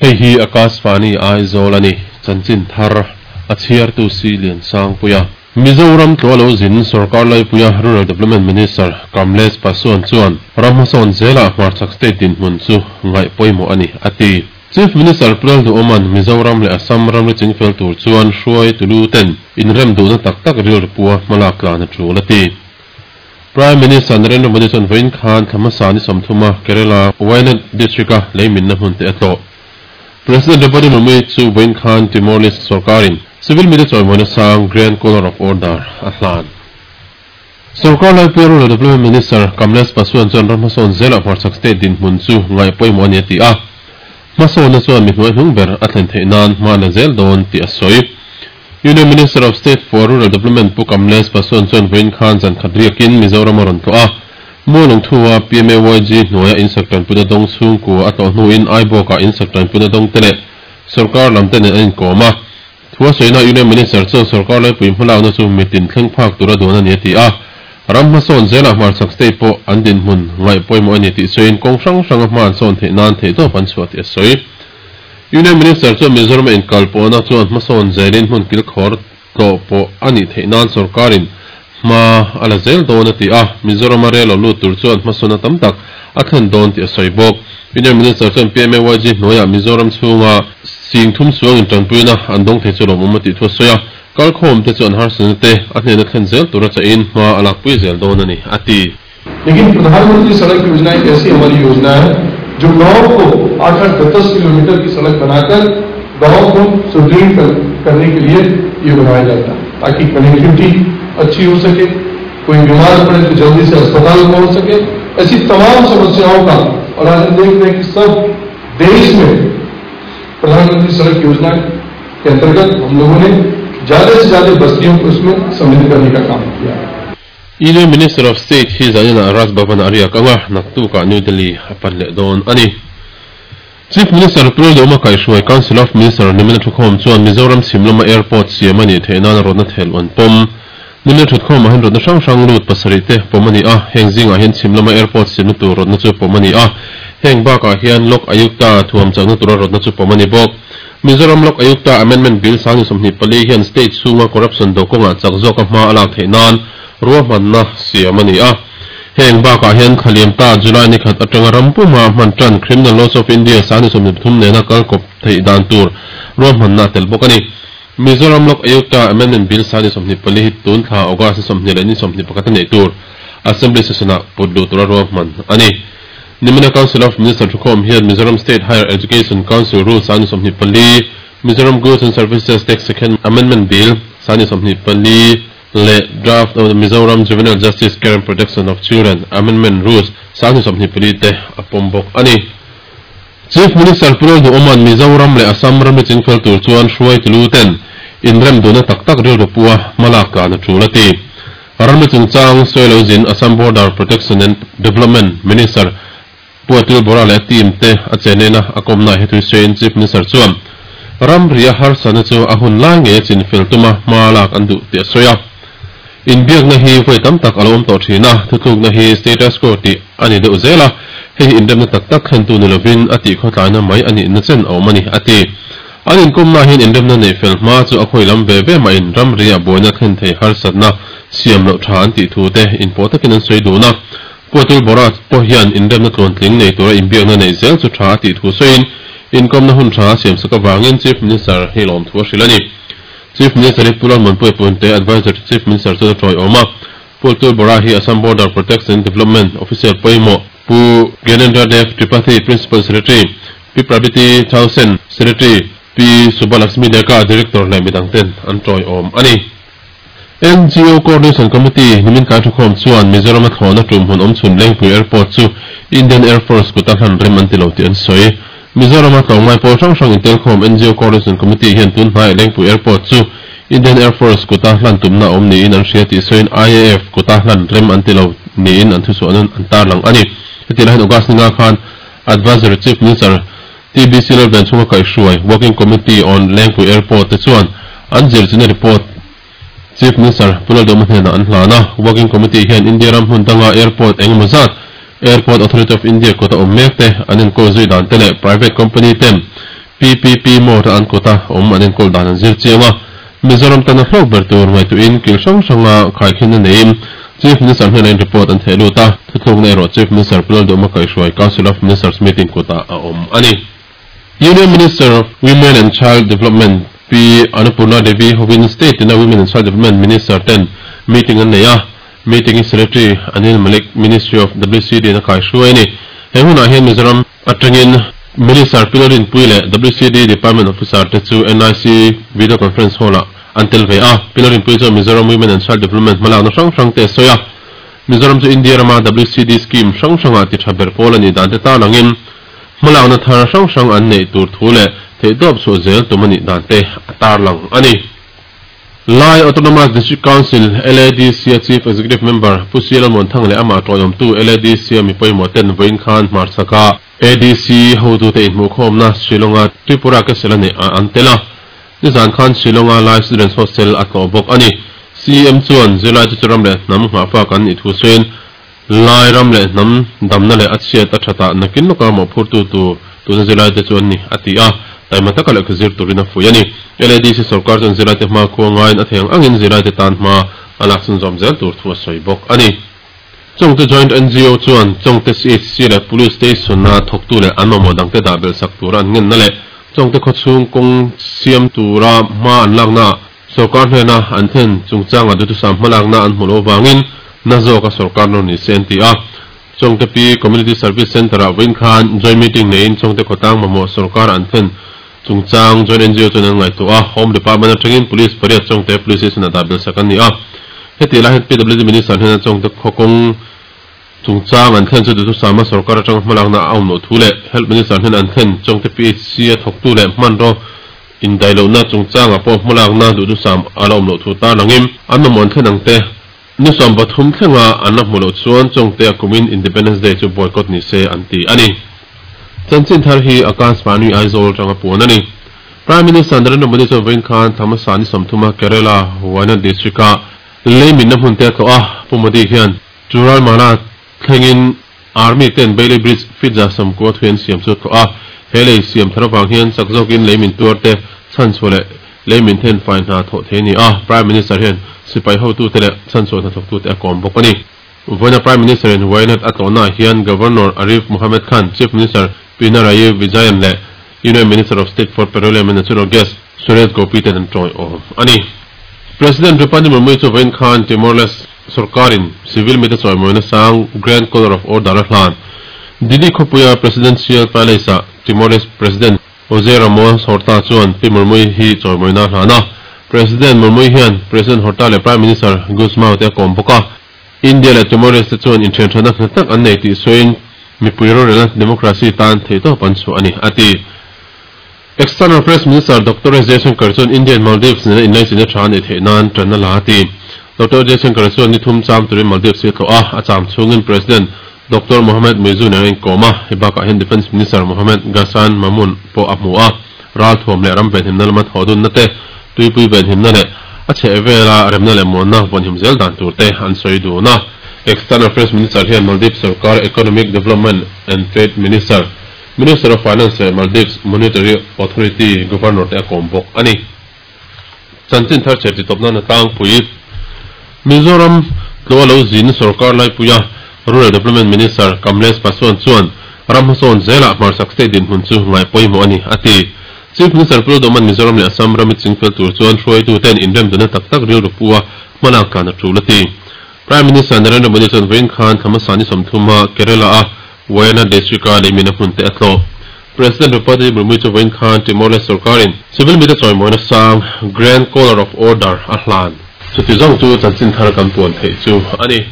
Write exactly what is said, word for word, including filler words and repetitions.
Hei hi Akashvani Aizawl a ni, chanchin thar a chhiartu si Lian Sangpuia. Mizoram tluah lo zin Sarkar Laipuia Rural Development Minister Kamlesh Paswan chuan ram hmasawn zelah hmarchhak state dinhmun chu ngaih pawimawh a ni, a ti. Chief Minister Pu Lalduhoma'n Mizoram leh Assam ramri chingfel tur chuan hruai tulu ten inrem duhna tak tak rilru pua hmalak tlan a tul a ti. Prime Minister Narendra Modi chuan vawiin khan thla hmasa ni sawmthuma Kerala Wayanad district-a leiminna hmun te a tlawh. President Draupadi Murmu chu vawiin khan Timor-Leste sarkarin civil media chawimawina sang Grand Collar of Order a hlan. Sarkar Laipuia Rural Development Minister Kamlesh Paswan chuan ram hmasawn zelah hmarchhak state dinhmun chu ngaih pawimawh a ni a ti a. Hmasawnna chuan mi hnuai hnung ber a thlen theih nan hma la zel dawn tih a sawi. Union Minister of State for Rural Development Pu Kamlesh Paswan chuan vawiin khan zan khat riakin Mizoram a rawn tlawh a. Mualung thua P M A Y G hnuaia insak tanpuna dawng chhungkua a tlawh hnuin Aibawkah insak tanpuna dawng te leh sarkar lam te nen an inkawm a. Thua sawina Union Minister chuan sarkar laipui hmalakna chu mitin thleng phak tura duan a ni a ti a. Ram hmasawn zelah hmarchhak state pawh an dinhmun ngaih pawimawh a ni tih sawiin kawng hrang hranga hma an sawn theih nan theih tawp an chhuah tih a sawi. Union Minister chuan Mizoram a inkal pawhna chuan hmasawn zelin hmun kilkhawr tlawh pawh a nih theih nan sarkarin hma a la zel dawn a ti a. Mizoram a rel lo lut tur chuan hmasawn a tam tak a thlen dawn tih a sawi bawk. Union Minister chuan P M A Y G hnuaiah Mizoram chhunga sing thum suangin tanpuina an dawng thei chu lawmawm a tih thu a sawi a. Kalkhawm te chu an harsana te a hnena thlen zel tur a chahin hma a lakpui zel dawn a ni a ti. लेकिन प्रधानमंत्री सड़क योजना एक ऐसी हमारी योजना है जो गांव को आठ आठ दस दस किलोमीटर की सड़क बनाकर गांव को सुदृढ़ करने के लिए ये बनाया जाता है ताकि कनेक्टिविटी अच्छी हो सके, कोई बीमार पड़े तो जल्दी से अस्पताल पहुंच सके। ऐसी तमाम समस्याओं का, और आज हम देख रहे हैं कि सब देश में प्रधानमंत्री सड़क योजना के अंतर्गत हम लोगों ने ज्यादा से ज्यादा बस्तियों को उसमें सम्मिलित करने का काम किया है। Union Minister of State hi zanina Raj Bhavan a riak anga naktuka New Delhi a pan leh dawn a ni. Chief Minister Pu Lalduhoma Kaihhruai Council of Minister nimina thukhawm chuan Mizoram Chhimlama Airport siam a nih theih nan rawtna thel an pawm. Nimina thukhawm ah hian rawtna hrang hrang lut pasarih te pawm a ni a. Heng zingah hian Chhimlama Airport siamna tur rawtna chu pawm a ni a. Heng bakah hian Lok Ayukta thuam chakna tura rawtna chu pawm a ni bawk. Mizoram Lok Ayukta Amendment Bill sang ni sawmhnih pali hian state chhunga corruption do kawngah chak zawk a hma a lak theih nan ruahmanna siam a ni a. Heng bakah hian Khaliam ta July ni khat atanga rampuma hman tan Criminal Laws of India sang ni sawmhnih pathum nena kalkawp theih dan tur ruahmanna tel bawk a ni. Mizoram Lok Ayukta Amendment Bill sang ni sawmhnih pali hi tun thla August ni sawmhnih leh ni sawmhnih pakhat a neih tur Assembly session-ah put luh tura ruahman a ni. Nimina Council of Minister thukhawm hian Mizoram State Higher Education Council Rules sang ni sawmhnih pali, Mizoram Goods and Services Tax Second Amendment Bill sang ni sawmhnih pali le Draft of the Mizoram Juvenile Justice Care and Protection of Children Amendment Rules sang ni sawmhnih pali te a pawm bawk a ni. Chief Minister Pu Lalduhoma'n Mizoram leh Assam ramri chingfel tur chuan hruai tulu ten inrem duhna tak tak rilru pua hmalak tlan a tul a ti. Ramri chungchang sawi lo zin Assam Border Protection and Development Minister Pu Atul Bora leh team te a chenena a kawmna he thui sawiin Chief Minister chuan ramri a harsana chu a hun lai nge chinfel tuma hmalak an duh tih a sawi a. Inbiakna hi vawi tam tak a lo awm tawh thin a, thutlukna hi status quo tih a ni deuh zel a, hei hi inremna tak tak thlen tu ni lovin a tih khawtlaina mai a nih na chen a awm a ni a ti. An inkawmna hian inremna neih fel hma chu a khawi lam ve ve mah in ramri a buaina thlen thei harsatna siam loh tha an tih thu te inpawh takin an sawi dun a. Pu Atul Bora pawh hian inremna tluan tling nei tura inbiakna neih zel chu tha a tih thu sawiin inkawmna hun tha a siam sak avangin Chief Minister hi lawm thu a hrilh a ni. Chief Minister hi Pu Lalmuanpuia Punte Advisor to Chief Minister chu a tawi awm a. Pu Atul Bora hi Assam Border Protection and Development Official pawimawh Pu Gyanendra Dev Tripathi Principal Secretary, P Prabiti Thaosen Secretary, P Subbalakshmi Deka Director leh midang ten an tawi awm a ni. N G O Coordination Committee nimin kai thukhawm chuan Mizoram a thlawhna tum hun awm chhun Lengpui Airport chu Indian Air Force kut a hlan rem an ti lo tih an sawi. Mizoram a tlawng ngai pawl hrang hrang in telkhawm N G O Coordination Committee hian tun hnai Lengpui Airport chu Indian Air Force kut a hlan tumna awm niin an hria tih sawiin I A F kut a hlan rem an ti lo niin an thusuah an an tarlang a ni. Heti lai hian August ni nga khan Advisory Chief Minister T B C Lalvenchhunga Kaihhruai Working Committee on Lengpui Airport te chuan an zirchina report Chief Minister Pu Lalduhoma hnenah an hlan a. Working Committee hian India ram hmun danga airport engemaw zat Airport Authority of India kut a awm mek te an enkawl zui dan te leh private company ten P P P mode an kota om an enkol dan an zir chianga Mizoram tana hlawk ber tur ngaihtuahin kil hrang hranga khaikhin a neiin Chief Minister hnena in report an theh lut a thuthlukna erawh Chief Minister Pu Lalduhoma kaihhruai Council of Ministers meeting kutah a awm a ni. Union Minister of Women and Child Development Pi Annapurna Devi hovin State ina Women and Child Development Minister ten meeting an nei a, meeting hi Secretary Anil Malik Ministry of W C D in a kaihhruai a ni. He hunah hian Mizoram atangin Minister Pi Lalrinpuii leh W C D Department Officer te chu N I C Video Conference Hall ah an tel ve a. Pi Lalrinpuii chuan Mizoram Women and Child Development hmalakna hrang hrang te a sawi a. Mizoram chu India rama W C D scheme hrang hrangah ti tha ber pawl a nih dan te tan angin hmalakna thar hrang hrang an neih tur thu leh theih tawp chhuah zel tum a nih dan te a tarlang a ni. Lai Autonomous District Council, L A D C a Chief Executive Member Pu Si Lalmuanthang leh amah tawihawmtu L A D C a mi pawimawh ten vawiin khan hmarchhaka A D C hotute inhmuhkhawmna Shillonga Tripura Kesel a neih ah an tel a. Nizan khan Shillonga Lai Students Hostel a tlawh bawk a ni. C M chuan zirlai chu ram leh hnam nghahfak an nih thu sawiin Lai ram leh hnam damna leh a chhiat a thatah nakin lawka mawhphurtu tur tuna zirlai te chu an ni a ti a. Taima taka lehkha zir turin a fuih a ni. L A D C sarkar chuan zirlai te hma khua ngaiin a thei ang angin zirlai te tan hma a lak chhun zawm zel tur thu a sawi bawk a ni. Chawngte Joint N G O chuan Chawngte C H C leh Police Station a thawktu leh an mamawh dangte dah belh sak tura an ngenna leh Chawngte khawchhung kawng siam tura hma an lakna sarkar hnena an thlen chungchanga duhthusam hma lakna an hmu lo vangin na zawka sarkar nawr ni se an ti a. Chawngte P Community Service Centre ah vawiin khan joint meeting neiin Chawngte khawtlang mamawh sarkar an thlen chungchang Joint N G O chuan an ngaihtuah a. Home Department atangin Police pariat Chawngte Police Station a dah belh sak an ni a. Heti lai hian P W D Minister hnena Chawngte khawkawng chungchang an thlen chu duhthusama sarkar atanga hmalakna a awm loh thu leh Health Minister hnena an thlen Chawngte P H C a thawktu leh hmanraw indailohna chungchangah pawh hmalakna duhthusam a la awm loh thu tarlangin an mamawh an thlen ang te ni sawm pathum thlenga an la hmu loh chuan Chawngte a kumin Independence Day chu boycott ni se an ti a ni. Chanchin thar hi Akashvani Aizawl atanga puan a ni. Prime Minister Narendra Modi chuan vawiin khan Thamasa ni sawmthuma Kerala Wayanad District a leimin na hmun te a tlawh a. Pu Modi hian Chooralmala thlengin Army ten Bailey Bridge fit za sawmkua thuian siam chu a tlawh a. He lei siam thar avang hian chak zawkin leimin tuar te chhan chhuah leh leimin then fai hna thawh thei a ni a. Prime Minister hian sipai hotu te leh chhan chhuah hna thawktu te a kawm bawk a ni. Vawiina Prime Minister in Wayanad a tlawhna hian Governor Arif Mohammed Khan, Chief Minister Pinarayi Vijayan leh Union Minister of State for Petroleum and Natural Gas Suresh Gopi ten an tawihawm a ni. President Draupadi Murmu chu vawiin khan Timor-Leste sarkarin civil mite chawimawina sang Grand Collar of Order a hlan. Dili khawpuia Presidential Palace ah Timor-Leste President Jose Ramos Horta chuan Pi Murmu hi chawimawina a hlan a. President Murmu hian President Horta leh Prime Minister Gusmao te a kawm bawk a. India leh Timor-Leste chuan inthianthana hna tak an nei tih sawiin mipui rorelna democracy tan thei tawp an chhuah a ni a ti. External Affairs Minister Doctor S Jaishankar chuan India and Maldives nena inlaichin a tha an nei theih nan tanna la a ti. Doctor Jaishankar chuan ni thum cham turin Maldives hi a tlawh a, a cham chhungin President Doctor Mohamed Muizzu nena inkawm a. Hei bakah hian Defence Minister Mohamed Ghassan Maumoon pawh a hmu a. Ral thuam leh ram venhimna lama thawh dunna te, tuipui venhimna leh a chheh vela remna leh muanna vawnhim zel dan tur te an sawi dun a. External Affairs Minister hian Maldives sarkar Economic Development and Trade Minister, Minister of Finance leh Maldives Monetary Authority Governor te a kawm bawk a ni. Chanchin thar chhe ti tawpna na tlangpui Mizoram tlaw lo zin sarkar laipuia Rural Development Minister Kamlesh Paswan chuan ram hmasawn zelah hmarchhak state dinhmun chu ngai pawimawh a ni a ti. Chief Minister Pu Lalduhoma'n Mizoram leh Assam rami chingfel tur chuan hruaitu ten inremdana tak tak rilru pu a hmalak tlan a tul a ti. Prime Minister Narendra Modi chuan vawiin khan Thamasa ni sawmthuma Kerala a Wayanad District a leimin a hmun te a tlawh. President Draupadi Murmu chu vawiin khan Timor-Leste sarkarin civil mite chawimawina sang Grand Collar of Order a hlan. Chuti zawng chu chanchin thar kan puan theih chu a ni.